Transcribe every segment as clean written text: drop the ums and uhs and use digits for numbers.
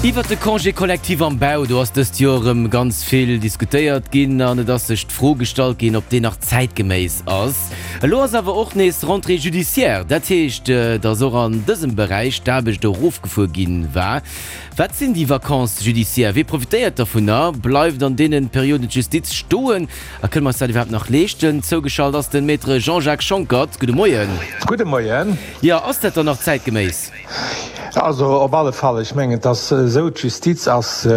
Iwwert de Congé collectif am Bau, do ass dëst Joer erëm ganz vill diskutéiert ginn an et ass sech d'Fro gestallt ginn, ob deen nach zäitgeméiss ass. Elo ass awer och nees Rentrée judiciaire, dat heescht, datt och an dësem Beräich d'Aarbecht erofgefuer gi war. Wat sinn déi Vacances judiciaires? Wie profitéiert dovunner? Bleift an deene Perioden d'Justiz stoen a kënne mer eis dat iwwerhaapt nach leeschten? Zougeschalt ass de Maître Jean-Jacques Schonckert. Gudde Moien. Gudde Moien. Jo, ass dat dann nach zäitgeméiss? Also op alle Fall, ech mengen, et ass esou, d'Justiz ass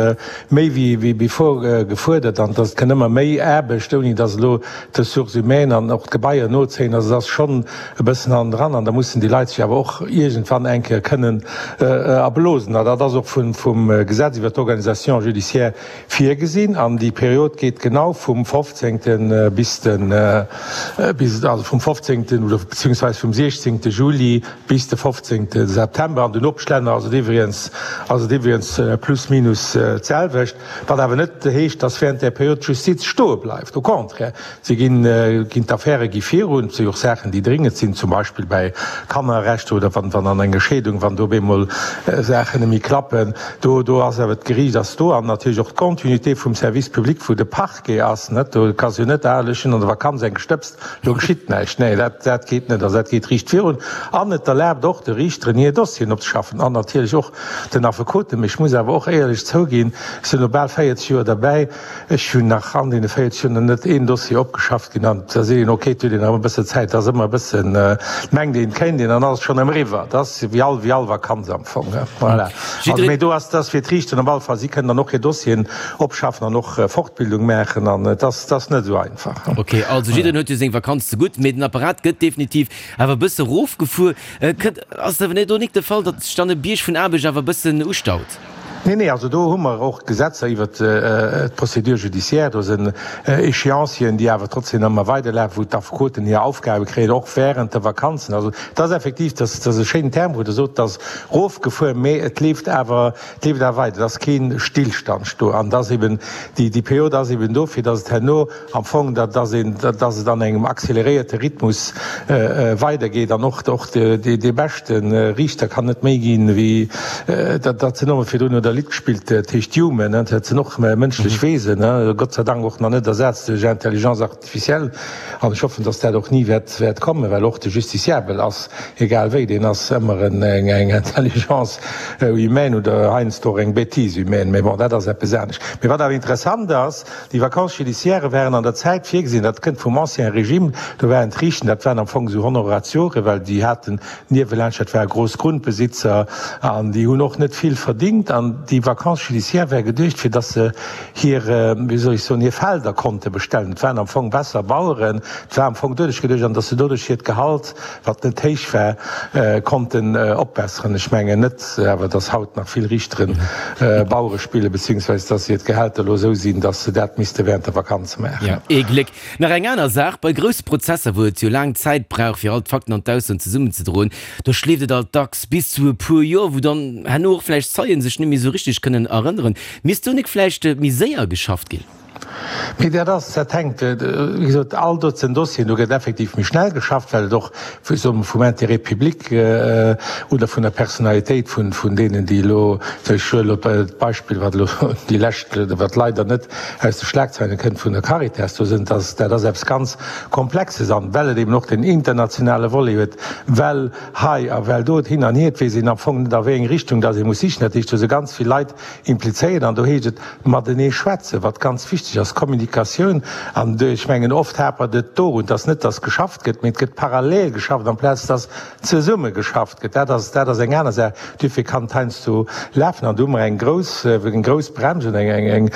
méi wéi before gefuerdert an et kënn ëmmer méi Aarbecht, ouni datt elo d'Ressources humaines an och d'Gebaier nozéien. Also et ass schonn e bëssen hannendran an da mussen déi Leit sech awer och iergendwann eng Kéier kënnen erblosen. A dat ass och vum Gesetz iwwert d'Organisation judiciaire virgesinn an déi Period geet genau vum 15. bis den, also vum 15. oder beziehungsweise vum 16. Juli bis de 15. September. An den Nopeschlänner ass et iwwregens ass et iwwregens plus minus d'selwecht, wat awer net heescht, dass während där Period d'Justiz stoe bleift. Au contraire, si ginn, ginn d'Affäre gi virun. Et si jo och Saachen, déi dringend sinn, zum Beispill bei Kannerrechter oder wann, wann an enger Scheedung, wann do op eemol Saachen net méi klappen. Do, do ass awer d'Geriicht ass do an natierlech och d'Continuité vum Service public, wou de Parquet ass, net? Do kanns jo net, ah, ech hunn an der Vakanz eng gestëbst, do geschitt näischt. Nee, dat, dat geet net. Also dat geet riicht virun an et erlaabt och de Riichteren, hir Dossieren opzeschaffen an natierlech och den Affekoten. Mee ech muss awer och éierlech zouginn, ech sinn elo bal 40 Joer derbäi, Ech hunn nach an deene 40 Joer nach net een Dossier opgeschafft ginn an da seet een, ok, et huet een nach e bësse Zäit, et ass ëmmer e bëssen, et mengt een, et kéint een an dann ass et schonn erëm eriwwer. Et ass wéi all, wéi all Vakanz am Fong, voilà. Also, mee do ass, et ass fir d'Riichteren op alle Fall, si kënnen dann och hir Dossieren opschaffen an och Fortbildung maachen an et ass, et ass net esou einfach. Ok, also jiddereen huet jo seng Vakanz zegutt, mee den Apparat gëtt definitiv awer e bësse erofgefuer. Kënnt, ass et awer net do nik de Fall, datt sech dann e Bierg vun Aarbecht awer e bëssen ustaut? Nee, nee, also do hu mer och Gesetzer iwwert d'Procédure judiciaire, do sinn Échéancieren, déi awer trotzdem ëmmer weiderlafen, wou d'Affekoten hir Aufgabe kréien, och während de Vakanzen. Also et ass effektiv, dat ass e schéinen Term, wou Der sot, et ass erofgefuer, mä et leeft awer, et leeft awer weider, et ass kee Stillstand do. An et ass eben, déi Period ass eben do, fir datt et herno Am Fong, datt een, datt et an engem accéléréierte Rhythmus weidergeet an och, och dee beschte Riichter kann net méi ginn, wéi dat, dat sinn och, virdrun huet Der e Lidd gespillt, dat heescht Human, dat sinn och mënschlech Wesen, Gott sei Dank och nach net ersat duerch Intelligence artificielle an ech hoffen, datt dat och ni wäert, wäert kommen, well och de Justiciable ass, egal wéi, deen ass ëmmer eng Intelligence humaine oder heiansdo och eng Bêtise humaine, mä bon, dat ass eppes anescht. Mee wat awer interessant ass, Déi Vacances judiciaires waren an der Zäit virgesinn, dat kënnt vum Ancien Régime, do waren d'Riichten, dat waren am Fong esou Honoratioren, well déi haten niewelaanscht, dat ware grouss Grundbesitzer an déi hunn och net vill verdingt. An déi Vacances judiciaires ware geduecht, fir datt se hir, wéi soll ech soen, hir Felder konnte bestellen. Et waren am Fong besser Baueren, et war am Fong doduerch geduecht, an datt se doduerch hiert Gehalt, wat net héich war, konnten opbesseren. Ech mengen net awer, datt haut nach vill Riichteren Bauere spillen, beziehungsweise datt hir d'Gehälter elo esou sinn, datt se dat misste während der Vakanz maachen. Jo, ee Gléck. Nach eng aner Saach, Bei grousse Prozesser, wou et jo laang Zäit brauch, fir all d'Fakten an d'Aussoen zesummenzedroen, do schleeft et alt dacks bis zu e puer Joer, wou dann herno och vläicht Zeien sech net méi esou richteg kënnen erënneren. Misst do nik vläicht méi séier geschafft ginn? Mee dat ass, dat hänkt, wéi gesot, all dozent Dossieren, do gëtt effektiv méi schnell geschafft, well et och, wéi soe mer, vum Intérêt public oder vun der Personalitéit vun, vun deenen, déi elo, ech huelen elo d'Beispill, wat elo déi lescht, wat leider net aus de Schlagzeilen kënnt, vun der Caritas, do sinn, dat, dat ass eppes ganz Komplexes an well et eben och den internationale Volet huet, well hei a well do et hin an hier, et weess een am Fong net a wéi eng Richtung dass ee muss sichen. Dat heescht, do si ganz vill Leit implizéiert an do heescht et matenee schwätzen, wat ganz wichteg ass, Kommunikatioun. An ech mengen, oft hapert et dorun, dass net dass geschafft gëtt, mee et gëtt parallel geschafft amplaz dass zesumme geschafft gëtt. Dat ass, dat ass eng aner Saach. Duerfir kann et heiansdo lafen an do hu mer eng grouss, eng grouss Brems oder eng, eng,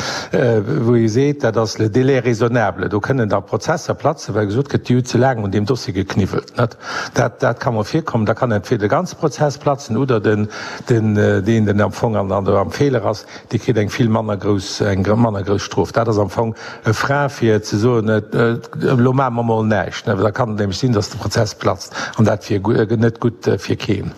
wou ee seet, dat ass le délai raisonnable. Do kënnen da Prozesser platzen, well gesot gëtt, déi hu ze laang un deem Dossier gekniwwelt. Dat, dat ka mol virkommen. Da kann entweder de ganze Prozess platzen oder den, den, deen, den am Fong an, an der, am Feeler ass, dee kritt eng vill manner grouss, eng manner grouss Strof. Dat ass am Fong e Frein fir ze soen, elo maache mer mol näischt. Da kann et nämlech sinn, datt de Prozess platzt an dat wier net gutt fir keen.